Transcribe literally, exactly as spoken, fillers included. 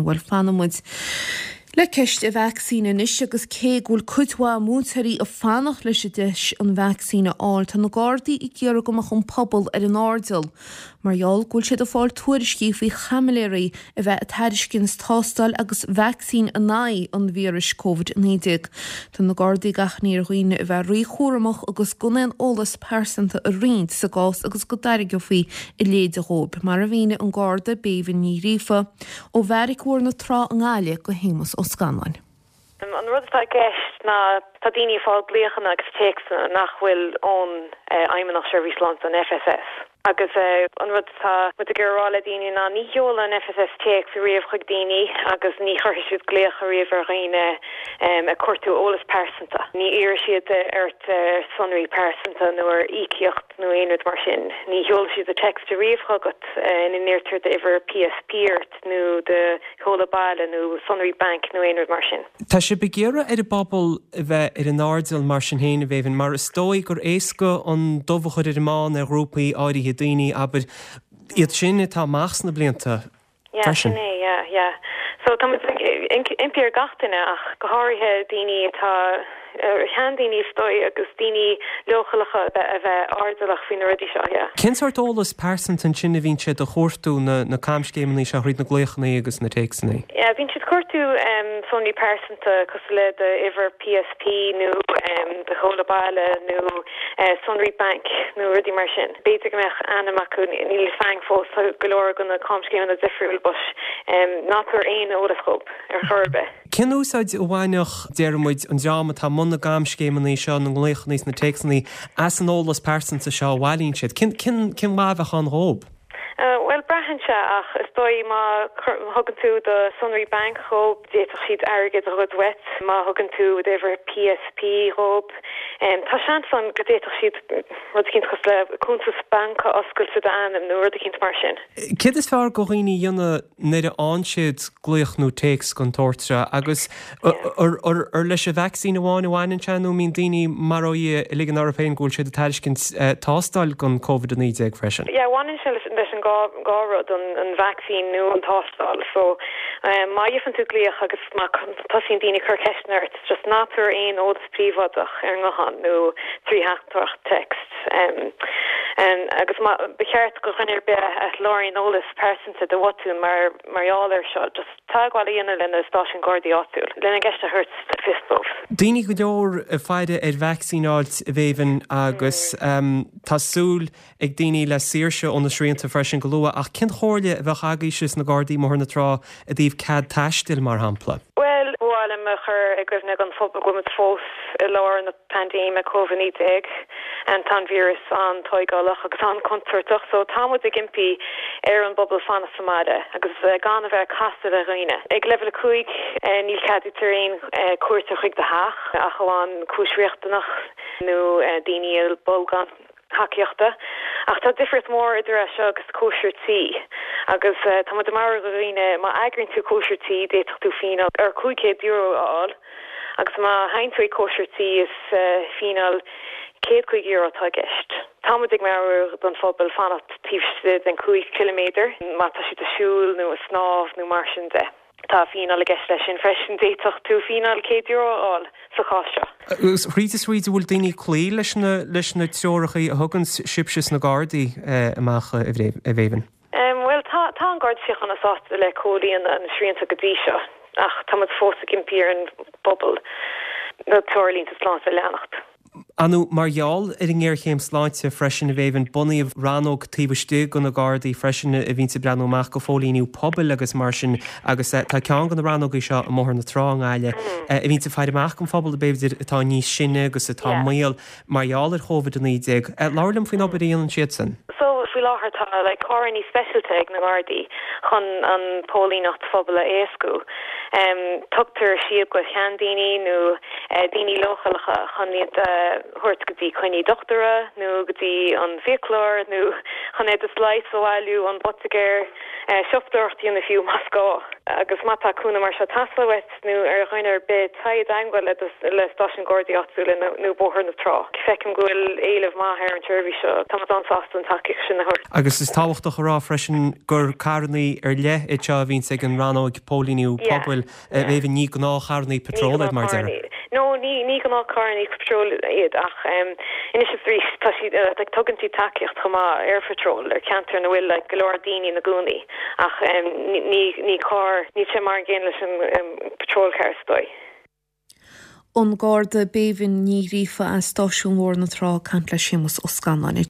sin. Bhuel fanfaidh muid le ceist an vacsaín anois agus cé go bhfuil cuid mhaith múinteoirí ag fanacht leis an deis an vacsaín a fháil tá na Gardaí ag iarraidh go mbeadh an pobal ar an airdeall. Mar gheall go bhfuil siad ag fáil tuairiscí faoi chaimiléirí a bheith ag tairiscint tástáil agus vacsaín in aghaidh an víris Covid naoi déag. Tá na Gardaí ag achainí ar dhaoine a bheith ríchúramach agus gan aon eolas pearsanta a roinnt sa gcás agus go dtairgeofaí a leithéid dhóibh. Mar a mhínigh an Garda Béibhinn Ní Ghríofa ó Bheairic Bhóthar na Trá i nGaillimh go hÉamas Ó Scanláin. An rud atá i gceist ná tá daoine ag fáil glaochanna agus téacsanna nach bhfuil ón Fheidhmeannacht Seirbhís Sláinte an FSS. Agus an rud atá muid ag rá le daoine ná ní sheolann an FSS téacs riamh chuig daoine agus ní chuirfidh siad glaoch riamh ar dhaoine ag cuartú eolas pearsanta. Ní iarrfaidh siad ort sonraí pearsanta nó ar íocaíocht nó aon rud mar sin. Ní sheolfaidh siad text riamh chugat ina n-iarrtar d'uimhir PSP ort nó do sheoladh baile nó sonraí banc nó aon rud mar sin. Tá sibh ag iarraidh ar an bpobal a bheith ar an airdeall mar sin féin a Bhéibhinn, mar is dóigh gur éasca an dubh a chur ar an mbán ar ghrúpaí áirithe daoine abair iad sin atá amach sna blianta Yeah, sin é, yeah, yeah. So tá impí ar gach duine ach go háirithe daoine atá seandaoine is dóigh agus daoine leochaileacha a bheith airdeallach faoi na rudaí seo, yeah. Cén sórt eolas pearsanta ansin a bhíonn siad a chuartú na na camscéimeanna seo thríd na glaochanna agus na téacsanna? Yeah, bíonn siad cuartú um, sonraí pearsanta cosúil le d'uimhir PSP nó um, do sheoladh baile nó uh, sonraí banc nó rudaí mar sin. B'fhéidir go mbeadh ainm acu níl fang fós go leor de na camscéimeanna difriúil but um, ná tabhair aon eolas dhóibh ar chor ar bith. Cén úsáid a bhainfeadh déarfaidh muid an dream atá i mbun na gcamscéimeanna seo na nglaochanna na téacsanna as an eolas pearsanta seo a bhailíonn siad. Cén cén cén mhaith a bheadh ann dhóibh? Uh, well braitheann sé ach is dóigh má thugann tú do sonraí banc dhóibh d'fhéadfadh siad airgead a ghoid uait má thugann tú d'uimhir PSP dhóibh. Um, tá seans ann go d'fhéadfadh siad rud éicint cosúil le cuntas banc a oscailt i d'ainm nó rud éicint mar sin. Céard is fearr do dhaoine a dhéanamh nuair a fhaigheann siad glaoch nó téacs den tsórt seo agus ar leis an vacsaín amháin a bhaineann sé nó mbíonn daoine mar ó ag ligean orthu féin go bhfuil siad ag tairiscint tástáil don Covid a naoi déag freisin. Yeah, bhaineann sé leis an dhá rud an, an vacsaín nó an tástáil. So um, má fhaigheann tú glaoch agus má tosaíonn daoine cur ceisteanna ort, just ná tabhair aon eolas príobháideach ar an nguthán nó trí theachtaireacht text. Um, um, agus ba cheart do dhuine ar bith a lorgaíonn eolas pearsanta de bhotún mar mar gheall air seo, just teagmháil a dhéanamh lena stáisiún Gardaí áitiúil, lena gceist a thabhairt fios dóibh. Daoine go leor ag faire ar vacsaínáilt a Bhéibhinn agus um, tá súil ag daoine le saoirse ó na srianta freisin go luath ach cén chomhairle a bheadh agaibhse sna Gardaí i mBóthar na Trá i dtaobh cead taistil mar shampla. Well bhfuil me chur ag goimhne an phobal go bhfuil muid fós i lár na paindéime Covid naoi déag an tá an víreas an-tógálach agus an-chontúirteach, so tá muid ag impí ar an bpobal fanacht sa mbaile agus uh, gan a bheith casadh le dhaoine. Ag leibhéal a cúig uh, níl ceadaítear aon uh, cuairt chuig do theach ach amháin cúis riachtanach nó uh, daoine bolgán tacaíochta. Ach tá difríocht mór idir é seo agus cóisir tí. Agus uh, tá mar dhaoine má eagraíonn tú cóisir tí d'fhéadfadh tú fíneáil ar cúig chéad euro a fháil. Agus má théann tú cóisir tí is uh, fíneáil céad caoga euro atá i gceist. Tá muid ag meabhrú don phobal fanacht taobh den cúig kilometer má tá siad ag siúl nó ag snámh nó mar sin de. Tá fíneáil i gceist leis sin freisin d'fhéadfadh tú fíneáil céad euro a fháil sa chás seo. Thríd is thríd bhfuil daoine cloí leis na leis na treoracha a thugann sibhse sna Gardaí amach a Bhéibhinn. Um, well tá tá an Garda Síochána sásta le comhlíonadh na srianta go dtí seo ach tá fós ag impí ar an bpobal na treoirlínte sláinte a leanacht. Anu mar gheall ar an ngéarchéim sláinte freisin a Bhéibhinn bunaíodh rannóg taobh istigh de na Gardaí freisin a bhíonn ag breathnú amach go phóilíniú pobail agus mar sin agus tá ceann de na rannógaí seo i mBóthar na Trá i nGaillimh a bhíonn ag faire amach an phobal b'fhéidir atá níos sine agus atá mall mar gheall ar Covid a naoi déag. Labhair liom faoin obair a dhéanann siad sin. So faoi láthair tá le carranna speisialta ag na Gardaí chun an póilíneacht phobail a éascú. Um, tugtar síob go seandaoine nó uh, daoine leochaileacha chun iad uh, thabhairt go dtí coinní dochtúra nó go dtí an fiaclóir nó chun iad leighis a bhailiú an poitigéir uh, siopadóireacht a dhéanamh fiú más gá. Agus má tá cúnamh mar seo ag teastáil uait nó ar dhuine ar bith, téigh i dteagmháil le le stáisiún Gardaí áitiúla nó Bóthar na Trá. Feicim go bhfuil éileamh maith ar an tseirbhís seo, tá muid an-sásta an tacaíocht sin a thabhairt. Agus is tábhachtach a rá freisin gur carrannaí ar leith iad seo a bhíonns ag an rannóg póilíniú pobail, a Bhéibhinn, ní gnáthcharrannaí patróil iad mar a déarfá. No, ní ní gnáthcharrannaí patróil iad ach anois is arís tá siad like tugann siad tacaíocht chomh maith ar phatról ar cheantar ina bhfuil like go leor daoine ina gcónaí ach ní ní carr níl sé mar an gcéanna leis an patrol car is dóigh. An Garda Béibhinn Ní Ghríofa as Stáisiún Bhóthar na Trá ag caint le Séamus Ó Scanláin.